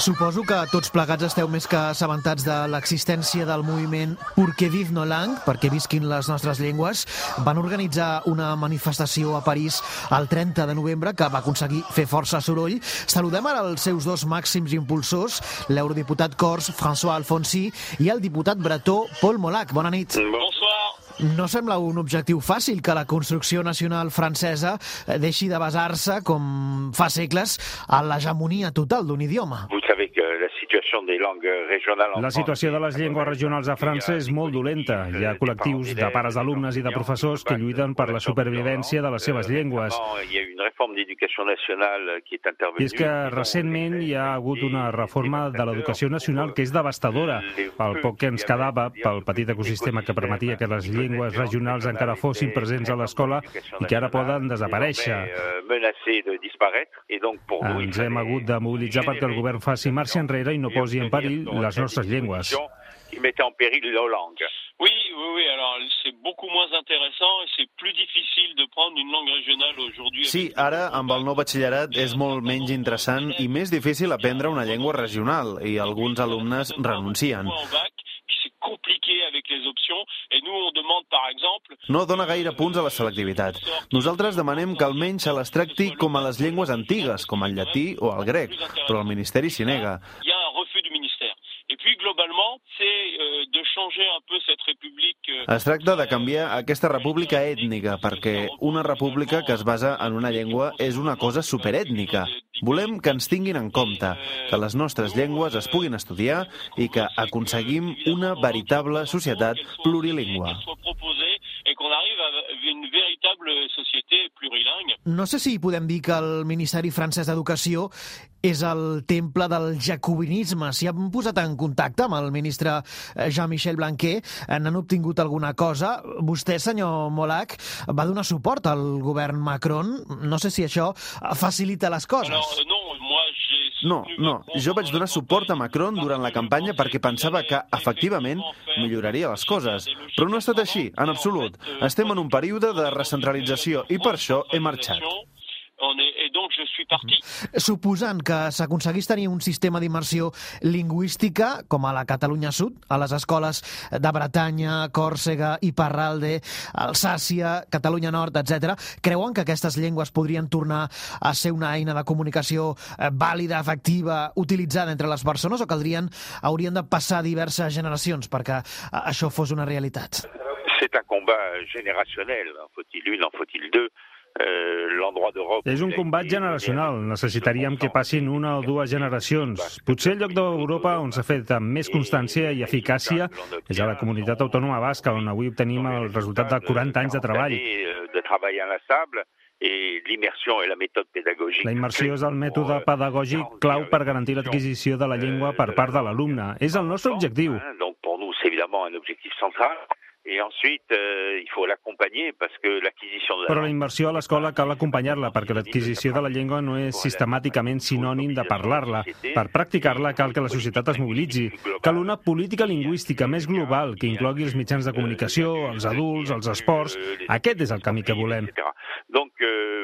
Suposo que tots plegats esteu més que assabentats de l'existència del moviment Pour que vive nos langues, perquè visquin les nostres llengües. Van organitzar una manifestació a París el 30 de novembre que va aconseguir fer força soroll. Saludem ara els seus dos màxims impulsors, l'eurodiputat cors François Alfonsi i el diputat bretó Paul Molac. Bona nit. Bonsoir. No sembla un objectiu fàcil que la construcció nacional francesa deixi de basar-se, com fa segles, a l'hegemonia total d'un idioma. La situació de les llengües regionals a França és molt dolenta. Hi ha col·lectius de pares d'alumnes i de professors que lluiten per la supervivència de les seves llengües. I és que recentment hi ha hagut una reforma de l'educació nacional que és devastadora. El poc que ens quedava pel petit ecosistema que permetia que les llengües regionals encara fossin presents a l'escola i que ara poden desaparèixer. Ens hem hagut de mobilitzar perquè el govern faci marxa enrere i no posi en perill les nostres llengües. Oui, alors c'est beaucoup moins intéressant et c'est plus difficile de prendre une langue régionale aujourd'hui. Sí, ara amb el nou batxillerat és molt menys interessant i més difícil aprendre una llengua regional i alguns alumnes renuncien. No dona gaire punts a la selectivitat. Nosaltres demanem que almenys se les tracti com a les llengües antigues, com el llatí o el grec, però el Ministeri s'hi nega. Es tracta de canviar aquesta república ètnica, perquè una república que es basa en una llengua és una cosa superètnica. Volem que ens tinguin en compte, que les nostres llengües es puguin estudiar i que aconseguim una veritable societat plurilingüe. No sé si podem dir que el Ministeri francès d'Educació és el temple del jacobinisme. Si han posat en contacte amb el ministre Jean-Michel Blanquer, n'han obtingut alguna cosa. Vostè, senyor Molac, va donar suport al govern Macron. No sé si això facilita les coses. No, jo vaig donar suport a Macron durant la campanya perquè pensava que, efectivament, milloraria les coses. Però no ha estat així, en absolut. Estem en un període de recentralització i per això he marxat. Et donc je suis parti. Suposant que s'aconseguís tenir un sistema d'immersió lingüística, com a la Catalunya Sud, a les escoles de Bretanya, Còrsega, Iparralde, Alsàcia, Catalunya Nord, etc., creuen que aquestes llengües podrien tornar a ser una eina de comunicació vàlida, efectiva, utilitzada entre les persones, o haurien de passar diverses generacions perquè això fos una realitat? C'est un combat générationnel. En faut-il une, en faut-il deux? És un combat generacional. Necessitaríem que passin una o dues generacions. Potser el lloc d'Europa on s'ha fet amb més constància i eficàcia és a la comunitat autònoma basca, on avui obtenim el resultat de 40 anys de treball. La immersió és el mètode pedagògic clau per garantir l'adquisició de la llengua per part de l'alumne. És el nostre objectiu. Donc pour nous, c'est évidemment un objectif central. Et ensuite, il faut l'accompagner parce que l'acquisition de la... Però la immersió a l'escola cal acompanyar-la, perquè l'adquisició de la llengua no és sistemàticament sinònim de parlar-la. Per practicar-la cal que la societat es mobilitzi. Cal una política lingüística més global que inclogui els mitjans de comunicació, els adults, els esports. Aquest és el camí que volem. Donc,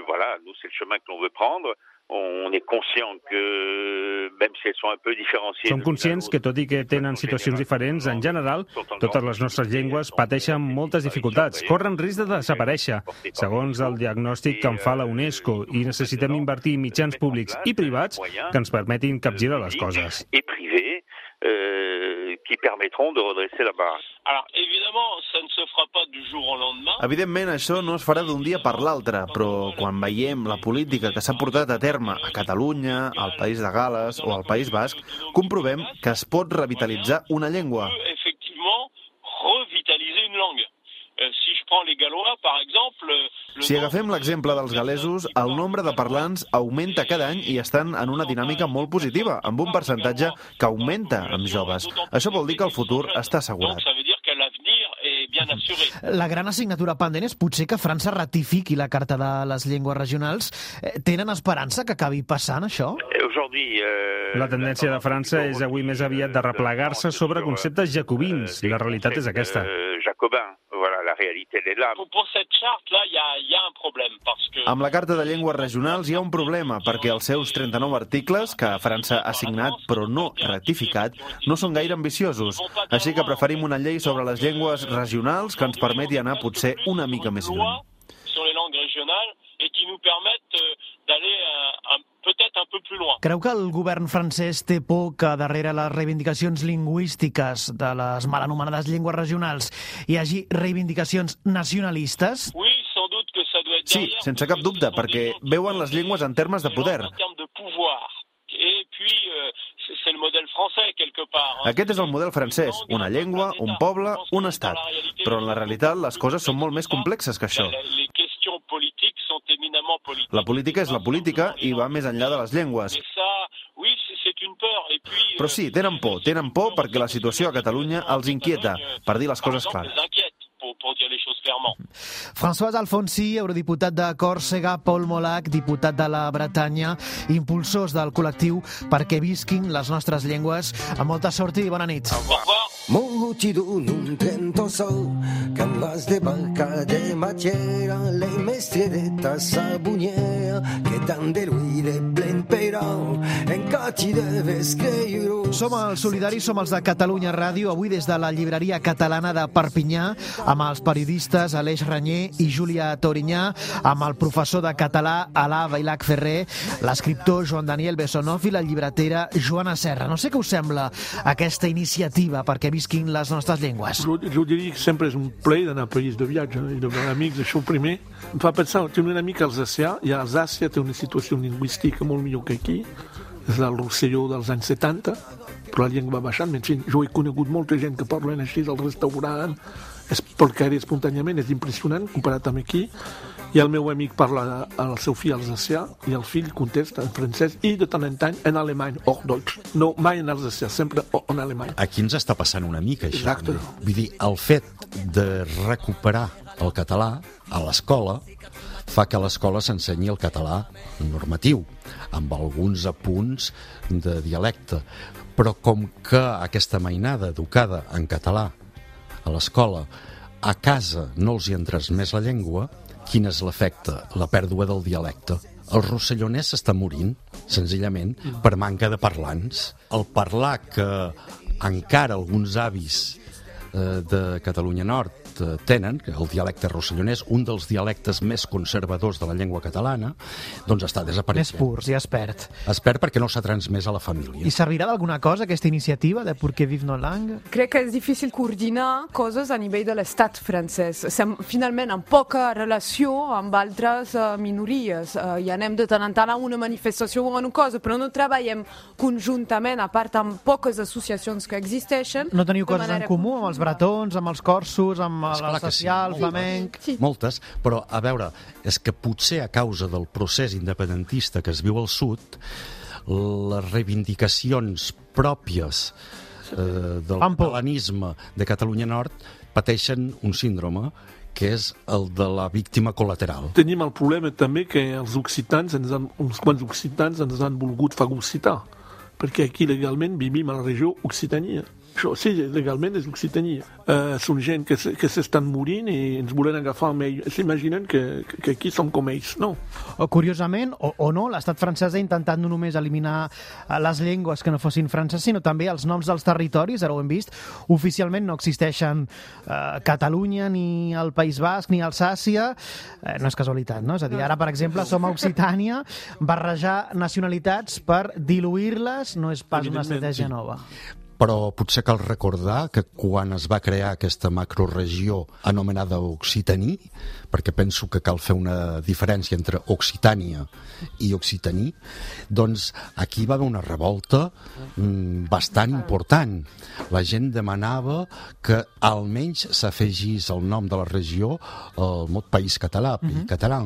voilà, nous, c'est le chemin que l'on veut prendre. On est conscient que, même si elles sont un peu différenciées... Som conscients que, tot i que tenen situacions diferents, en general, totes les nostres llengües pateixen moltes dificultats, corren risc de desaparèixer, segons el diagnòstic que en fa la UNESCO, i necessitem invertir mitjans públics i privats que ens permetin capgirar les coses. Et privés, qui permettront de redresser la barre. Alors, évidemment, ça ne se fera pas du jour au lendemain. Evidentment, això no es farà d'un dia per l'altre, però quan veiem la política que s'ha portat a terme a Catalunya, al País de Gales o al País Basc, comprovem que es pot revitalitzar una llengua. Effectivement, revitaliser une langue. Si je prends les Gallois, par exemple... Si agafem l'exemple dels galesos, el nombre de parlants augmenta cada any i estan en una dinàmica molt positiva, amb un percentatge que augmenta amb joves. Això vol dir que el futur està assegurat. La gran assignatura pendent és potser que França ratifiqui la Carta de les Llengües Regionals. Tenen esperança que acabi passant això? La tendència de França és avui més aviat de replegar-se sobre conceptes jacobins. La realitat és aquesta. Amb la Carta de Llengües Regionals hi ha un problema, perquè els seus 39 articles, que França ha signat però no ratificat, no són gaire ambiciosos. Així que preferim una llei sobre les llengües regionals que ens permeti anar potser una mica més lluny. Creu que el govern francès té por que darrere les reivindicacions lingüístiques de les mal anomenades llengües regionals hi hagi reivindicacions nacionalistes? Sí, sense cap dubte, perquè veuen les llengües en termes de poder. Aquest és el model francès, una llengua, un poble, un estat. Però en la realitat les coses són molt més complexes que això. La política és la política i va més enllà de les llengües. Però sí, tenen por perquè la situació a Catalunya els inquieta, per dir les coses clares. François Alfonsi, eurodiputat de Còrsega, Paul Molac, diputat de la Bretanya, impulsors del col·lectiu Perquè visquin les nostres llengües. Amb molta sort i bona nit. Multitud un trento sol que más de barca de matiera le mestriereta sabuniera que tant de ruïde plen perau en cati deves creure. Som els solidaris, som els de Catalunya Ràdio, avui des de la llibreria catalana de Perpinyà, amb els periodistes Aleix Ranyer i Júlia Torinyà, amb el professor de català Alà Vailac Ferrer, l'escriptor Joan Daniel Bessonov i la llibretera Joana Serra. No sé què us sembla aquesta iniciativa perquè visquin les nostres llengües. Jo diria que sempre és un plaer d'anar a país de viatge i de veure amics, això primer. Em fa pensar, tinc un amic alsacià, i a Alsàcia té una situació lingüística molt millor que aquí, és el Rosselló dels anys 70, però la llengua va baixant. En fi, jo he conegut molta gent que parlen així del restaurant, és perquè espontàniament és impressionant comparat amb aquí, i el meu amic parla al seu fill alsacià i el fill contesta en francès i de tant en tant en alemany, Hochdeutsch. No, mai en alsacià, sempre en alemany. Aquí ens està passant una mica això. Exacte. Vull dir, el fet de recuperar el català a l'escola fa que a l'escola s'ensenyi el català normatiu, amb alguns apunts de dialecte. Però com que aquesta mainada educada en català a l'escola, a casa no els hi ha transmès la llengua, quin és l'efecte? La pèrdua del dialecte. El rossellonès s'està morint, senzillament, per manca de parlants. El parlar que encara alguns avis de Catalunya Nord tenen, que el dialecte rossellonès, un dels dialectes més conservadors de la llengua catalana, doncs està desapareixent. Més purs, ja es perd. Es perd perquè no s'ha transmès a la família. I servirà d'alguna cosa aquesta iniciativa de Pour que vive nos langues? Crec que és difícil coordinar coses a nivell de l'estat francès. Estem finalment en poca relació amb altres minories. I anem de tant en tant a una manifestació o una cosa, però no treballem conjuntament, a part amb poques associacions que existeixen. No teniu coses en comú amb els bretons, amb els corsos, amb l'alsacià, el flamenc... Sí. Moltes, però a veure, és que potser a causa del procés independentista que es viu al sud, les reivindicacions pròpies del catalanisme de Catalunya Nord pateixen un síndrome que és el de la víctima col·lateral. Tenim el problema també que els occitans, uns quants occitans ens han volgut fagocitar, perquè aquí legalment vivim a la regió Occitania. Això, sí, legalment és Occitania. Són gent que s'estan morint i ens volen agafar amb ells. S'imaginen que aquí som com ells, no? Curiosament, o no, l'estat francès ha intentat no només eliminar les llengües que no fossin franceses, sinó també els noms dels territoris, ara ho hem vist. Oficialment no existeixen Catalunya, ni el País Basc, ni Alsàcia. No és casualitat, no? És a dir, ara, per exemple, som a Occitània. Barrejar nacionalitats per diluir-les no és pas una estratègia nova. Però potser cal recordar que quan es va crear aquesta macroregió anomenada Occitaní, perquè penso que cal fer una diferència entre Occitània i Occitaní, doncs aquí va haver una revolta bastant important. La gent demanava que almenys s'afegís el nom de la regió al mot País Català, Pays Català.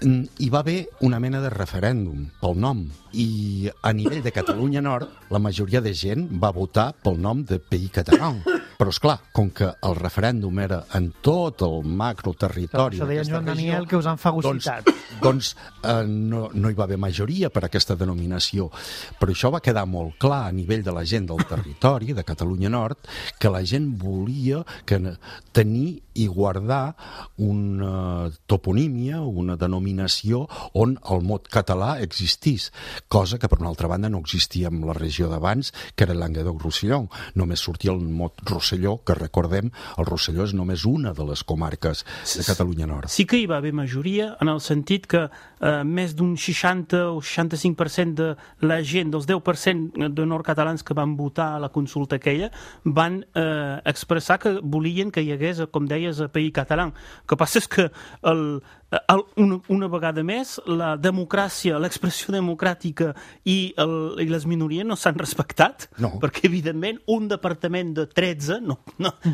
Hi va haver una mena de referèndum pel nom i a nivell de Catalunya Nord la majoria de gent va votar pel nom de Pays Català. Però, esclar, com que el referèndum era en tot el macroterritori això deia Joan Daniel, que us han fagocitat. Doncs no hi va haver majoria per aquesta denominació. Però això va quedar molt clar a nivell de la gent del territori, de Catalunya Nord, que la gent volia tenir i guardar una toponímia, una denominació on el mot català existís, cosa que per una altra banda no existia en la regió d'abans, que era Languedoc-Roussillon. Només sortia el mot Rosselló, que recordem, el Rosselló és només una de les comarques de Catalunya Nord. Sí que hi va haver majoria, en el sentit que més d'un 60 o 65% de la gent, dels 10% de nord-catalans que van votar a la consulta aquella, van expressar que volien que hi hagués, com deies, a País Català. El que passa és que una vegada més la democràcia, l'expressió democràtica i les minories no s'han respectat, perquè evidentment un departament de 13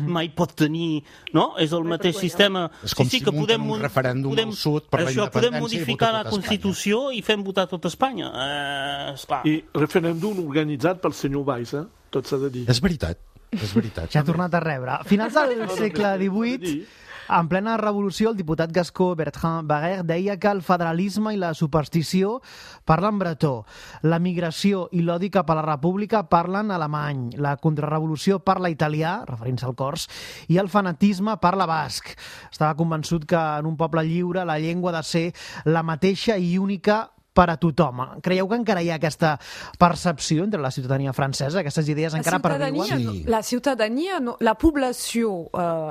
mai pot tenir, no? És el mateix sistema. És com si munten un referèndum al sud per la independència podem modificar la Constitució i fem votar tot Espanya. I referèndum organitzat pel senyor Valls, tot s'ha de dir. És veritat. Ja ha tornat a rebre. A finals del segle XVIII, en plena revolució, el diputat gascó Bertrand Barrère deia que el federalisme i la superstició parlen bretó, la migració i l'odi cap a la república parlen alemany, la contrarrevolució parla italià, referint-se al cors, i el fanatisme parla basc. Estava convençut que en un poble lliure la llengua ha de ser la mateixa i única per a tothom. Creieu que encara hi ha aquesta percepció entre la ciutadania francesa, aquestes idees encara perviuen? La ciutadania, la població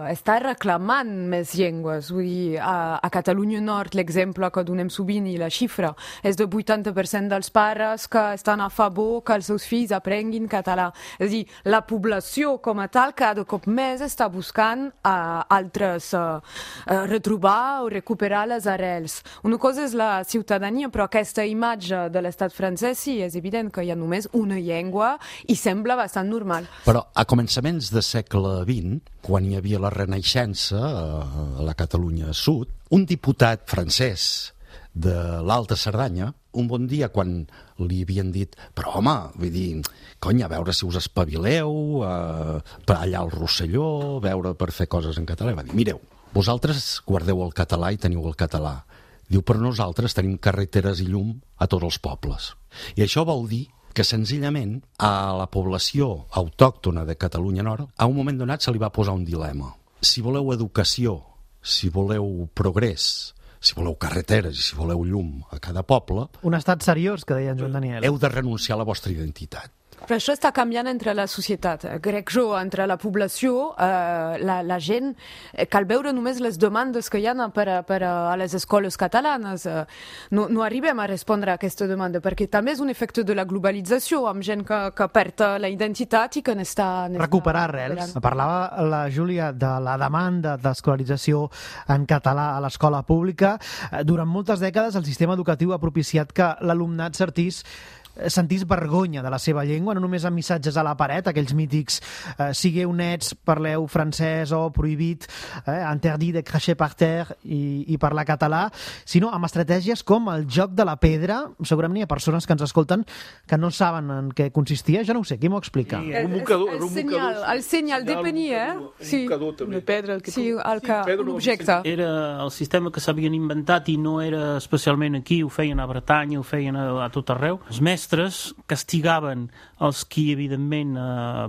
està reclamant més llengües. Vull dir, a Catalunya Nord, l'exemple que donem sovint i la xifra és de 80% dels pares que estan a favor que els seus fills aprenguin català. És a dir, la població com a tal cada cop més està buscant altres retrobar o recuperar les arrels. Una cosa és la ciutadania, però aquesta imatge de l'estat francès sí, és evident que hi ha només una llengua i sembla bastant normal. Però a començaments del segle XX, quan hi havia la Renaixença a la Catalunya Sud, un diputat francès de l'Alta Cerdanya, un bon dia quan li havien dit però home, vull dir, cony, a veure si us espavileu, per allà al Rosselló, veure per fer coses en català, va dir, mireu, vosaltres guardeu el català i teniu el català. Diu, però nosaltres tenim carreteres i llum a tots els pobles. I això vol dir que senzillament a la població autòctona de Catalunya Nord a un moment donat se li va posar un dilema. Si voleu educació, si voleu progrés, si voleu carreteres i si voleu llum a cada poble... Un estat seriós, que deia en Joan Daniel. Heu de renunciar a la vostra identitat. Però això està canviant entre la societat, crec jo, entre la població, la gent, cal veure només les demandes que hi ha a les escoles catalanes. No arribem a respondre a aquesta demanda, perquè també és un efecte de la globalització, amb gent que perd la identitat i que n'està... Recuperar arrels. Parlava la Júlia de la demanda d'escolarització en català a l'escola pública. Durant moltes dècades el sistema educatiu ha propiciat que l'alumnat sentís vergonya de la seva llengua, no només amb missatges a la paret, aquells mítics sigueu nets, parleu francès o prohibit, interdit de cracher par terre i parlar català, sinó amb estratègies com el joc de la pedra. Segurament hi ha persones que ens escolten que no saben en què consistia, jo no ho sé, qui m'ho explica? El senyal depenia, sí. De pedra, l'objecte. Era el sistema que s'havien inventat i no era especialment aquí, ho feien a Bretanya, ho feien a tot arreu. Els mestres castigaven els qui, evidentment,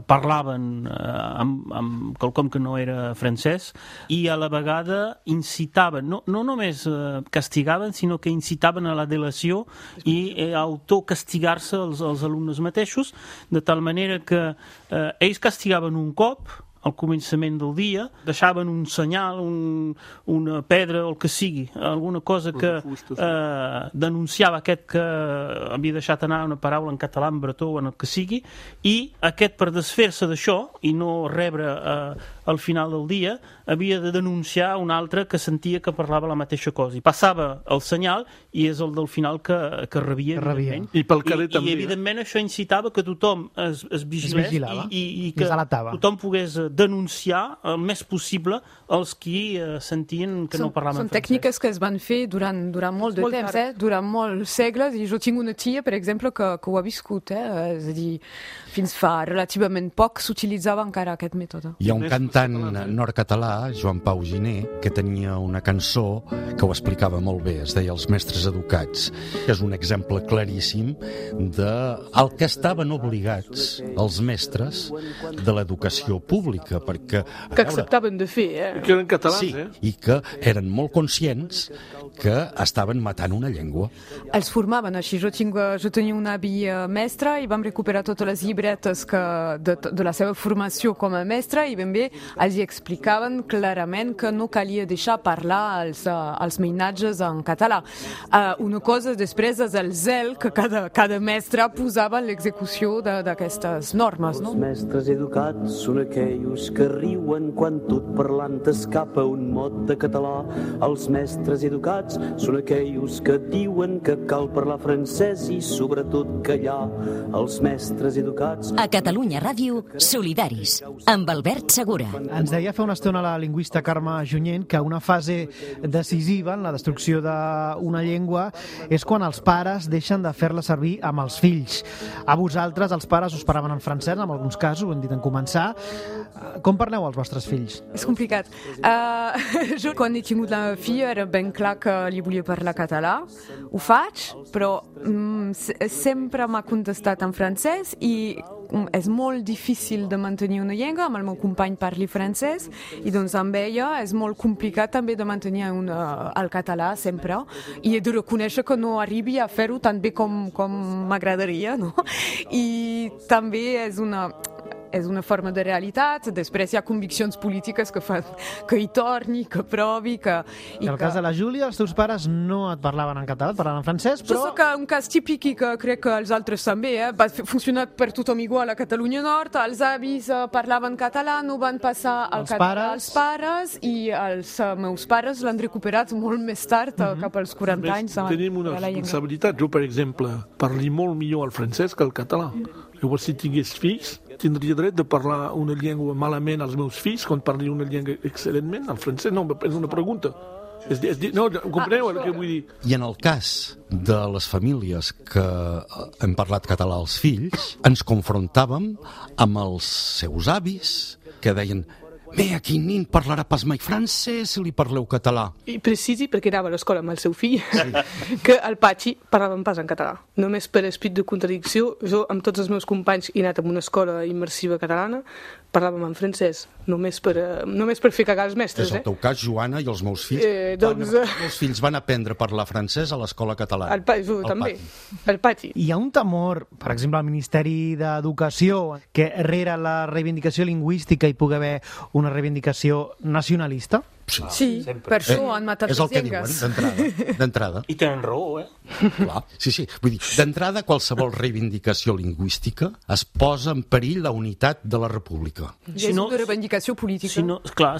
parlaven amb quelcom que no era francès i a la vegada incitaven, no només castigaven, sinó que incitaven a la delació i a autocastigar-se els alumnes mateixos, de tal manera que ells castigaven un cop al començament del dia, deixaven un senyal, una pedra o el que sigui, alguna cosa que denunciava aquest que havia deixat anar una paraula en català, en bretó o en el que sigui, i aquest, per desfer-se d'això i no rebre al final del dia, havia de denunciar un altre que sentia que parlava la mateixa cosa. I passava el senyal i és el del final que rebia. I pel carrer també. I evidentment això incitava que tothom es vigilés i que tothom pogués denunciar el més possible els qui sentien que no parlaven francès. Són tècniques que es van fer durant molt de temps, durant molts segles, i jo tinc una tia, per exemple, que ho ha viscut, és a dir, fins fa relativament poc s'utilitzava encara aquest mètode. Hi ha un cantant nord-català, Joan Pau Giner, que tenia una cançó que ho explicava molt bé, es deia Els mestres educats, que és un exemple claríssim del que estaven obligats els mestres de l'educació pública, perquè... Que acceptaven de fer, Que eren catalans, sí, i que eren molt conscients que estaven matant una llengua. Els formaven així. Jo tenia un avi mestre i vam recuperar totes les llibretes de la seva formació com a mestre i ben bé els explicaven clarament que no calia deixar parlar els mainatges en català. Una cosa després és el zel que cada mestre posava en l'execució d'aquestes normes. Els mestres educats són aquells que riuen quan tot parlant escapa un mot de català. Els mestres educats són aquells que diuen que cal parlar francès i sobretot callar. Els mestres educats... A Catalunya Ràdio, Solidaris, amb Albert Segura. Ens deia fa una estona la lingüista Carme Junyent que una fase decisiva en la destrucció d'una llengua és quan els pares deixen de fer-la servir amb els fills. A vosaltres, els pares, us paraven en francès, en alguns casos, ho hem dit en començar. Com parleu als vostres fills? És complicat. Jo, quan he tingut la filla, era ben clar que li volia parlar català. Ho faig, però sempre m'ha contestat en francès i és molt difícil de mantenir una llengua, amb el meu company parli francès i doncs amb ella és molt complicat també de mantenir el català sempre i he de reconèixer que no arribi a fer-ho tan bé com m'agradaria, no? I també és una forma de realitat, després hi ha conviccions polítiques que fan que hi torni, que provi, que... En el cas de la Júlia, els teus pares no et parlaven en català, et parlaven en francès, però... Jo soc un cas típic i que crec que els altres també, va funcionar per tothom igual a Catalunya Nord, els avis parlaven català, no van passar al català als pares i els meus pares l'han recuperat molt més tard, cap als 40 anys. Tenim una responsabilitat. Jo, per exemple, parli molt millor el francès que el català. Llavors, si tingués fills, tindria dret de parlar una llengua malament als meus fills quan parli una llengua excel·lentment. El francès no, és una pregunta. No, compreneu el que vull dir? I en el cas de les famílies que hem parlat català als fills, ens confrontàvem amb els seus avis que deien Me, aquí nin parlarà pas mai francès si li parleu català. I precisi, perquè anava a l'escola amb el seu fill, que al patxi parlaven pas en català. Només per esprit de contradicció, jo amb tots els meus companys he anat a una escola immersiva catalana, parlàvem en francès, només per fer cagar els mestres. És el teu cas, Joana, i els meus fills. Els meus fills van aprendre a parlar francès a l'escola catalana. També, al patxi. Hi ha un temor, per exemple, al Ministeri d'Educació, que rere la reivindicació lingüística hi pugui haver una reivindicació nacionalista? Sí, per això han matat les llengües. És el que diuen, d'entrada. I tenen raó, Clar, sí. Vull dir, d'entrada, qualsevol reivindicació lingüística es posa en perill la unitat de la república. És una reivindicació política.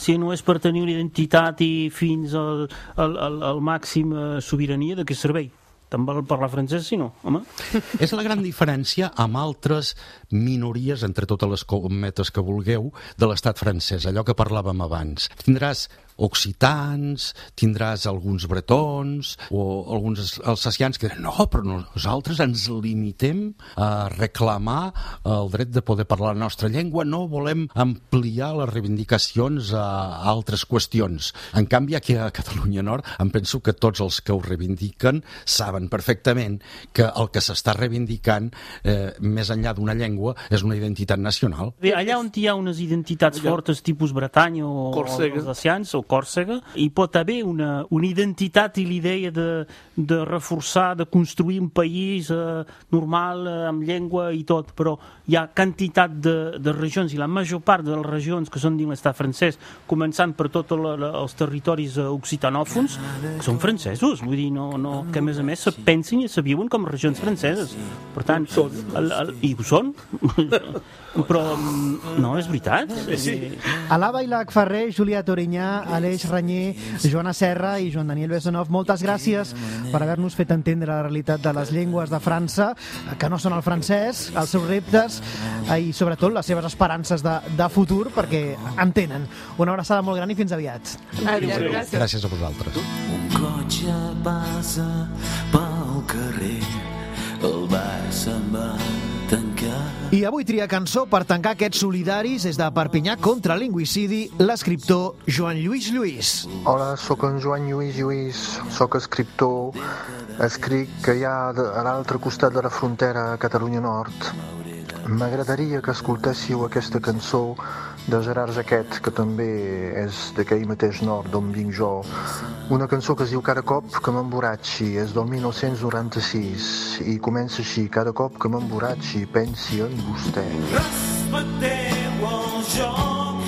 Si no és per tenir una identitat i fins al màxim sobirania, de què servei? Te'n val parlar francès, si no, home? És la gran diferència amb altres minories, entre totes les cometes que vulgueu, de l'estat francès, allò que parlàvem abans. Tindràs occitans, tindràs alguns bretons o alguns alsacians que diuen no, però nosaltres ens limitem a reclamar el dret de poder parlar la nostra llengua, no volem ampliar les reivindicacions a altres qüestions. En canvi, aquí a Catalunya Nord em penso que tots els que ho reivindiquen saben perfectament que el que s'està reivindicant més enllà d'una llengua és una identitat nacional. Allà on hi ha unes identitats fortes tipus Bretanya o alsacians o Còrsega, hi pot haver una identitat i l'idea de reforçar, de construir un país normal, amb llengua i tot, però hi ha quantitat de regions, i la major part de les regions que són dins l'estat francès, començant per tots els territoris occitanòfons, que són francesos, vull dir, que a més se pensin i se viuen com regions franceses. Per tant, i ho són, però no, és veritat. Alaba Ilac Ferrer, Julià Torinyà, Aleix Ranyer, Joana Serra i Joan Daniel Besonov, moltes gràcies per haver-nos fet entendre la realitat de les llengües de França, que no són el francès, els seus reptes i sobretot les seves esperances de futur, perquè en tenen. Una abraçada molt gran i fins aviat. Gràcies a vosaltres. Un cotxe passa pel carrer, el bar se'n va tancar. I avui tria cançó per tancar aquests solidaris des de Perpinyà contra el lingüicidi, l'escriptor Joan Lluís Lluís. Hola, sóc en Joan Lluís Lluís, sóc escriptor, escric que hi ha a l'altre costat de la frontera a Catalunya Nord. M'agradaria que escoltéssiu aquesta cançó de Gerard Jaquet, que també és d'aquell mateix nord d'on vinc jo. Una cançó que es diu Cada cop que m'emborratxi, és del 1996, i comença així: cada cop que m'emborratxi pensi en vostè. Respecteu el joc,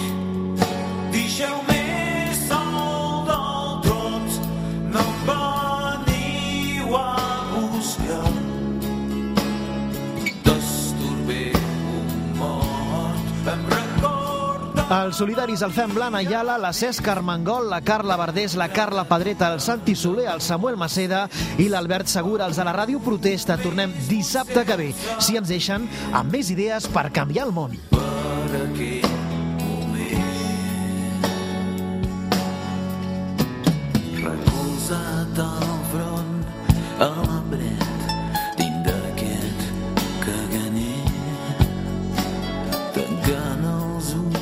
deixeu-me sol del tot, no em veniu a buscar. Els solidaris el fem l'Anna Ayala, la Cesc Armengol, la Carla Verdés, la Carla Pedreta, el Santi Soler, el Samuel Maceda i l'Albert Segura. Els de la Ràdio Protesta. Tornem dissabte que ve, si ens deixen, amb més idees per canviar el món. Recolzat al front, a l'embret, dins d'aquest caganer, tancant els ulls